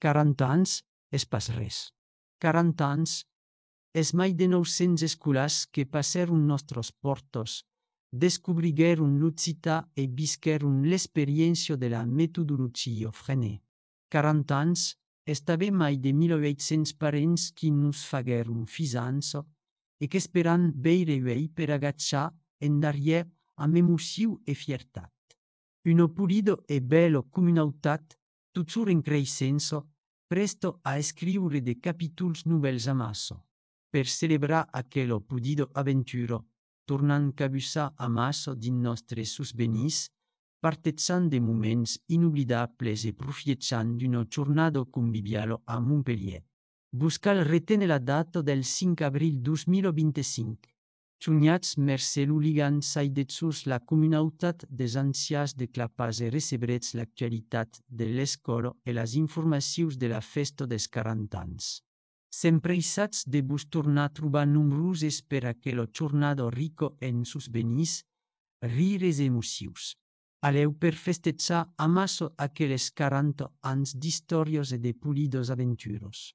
40 anys és pas res. 40 anys és mai de 900 escolars que passeron nostres portos, descobrigueron l'Occità e visqueron l'experiència de la metodologia Freinet. 40 anys és també mai de 1800 parents qui nos fagueron fisança e qu'esperan veire vei per agachar en darrière amb emoció e fiertat. Uno pulido e bello comunautat, toujours en creixença, presto a escriure de capítols nouvels amasso. Per celebrar aquella pulido avventura, tornant cabussar amasso din nostres souvenirs, partejant de moments inoblidables e profiettant d'una giornata conviviale a Montpellier. Buscal retene la data del 5 abril 2025. Sognats mercè l'Oligan saidetsus la comunautat des ancians de clapas e recebretz l'actualitat de l'escola e las informacions de la festa des 40 anys. S'empressats de vos tornar a trobar nombroses per aquella jornada rico en souvenirs, rires e emocions. Aleu per festejar amasso aquelles 40 anys d'històries e de pulidos aventures.